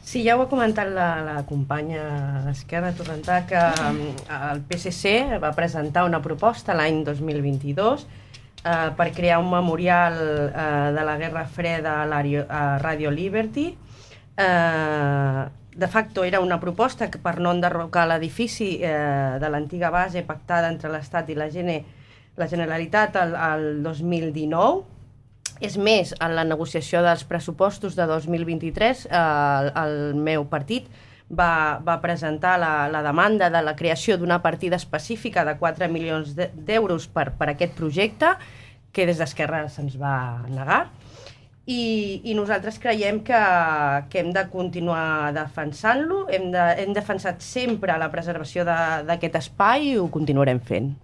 Sí, ja ho ha comentat la companya d'Esquerra Torrentà, que el PSC va presentar una proposta l'any 2022 per crear un memorial de la Guerra Freda a Radio Liberty. De facto era una proposta que per no enderrocar l'edifici de l'antiga base pactada entre l'Estat i la Generalitat el 2019. És més, en la negociació dels pressupostos de 2023 el meu partit va presentar la demanda de la creació d'una partida específica de 4 milions d'euros per aquest projecte, que des d'Esquerra se'ns va negar. I nosaltres creiem que hem de continuar defensant-lo, hem defensat sempre la preservació d'aquest espai i ho continuarem fent.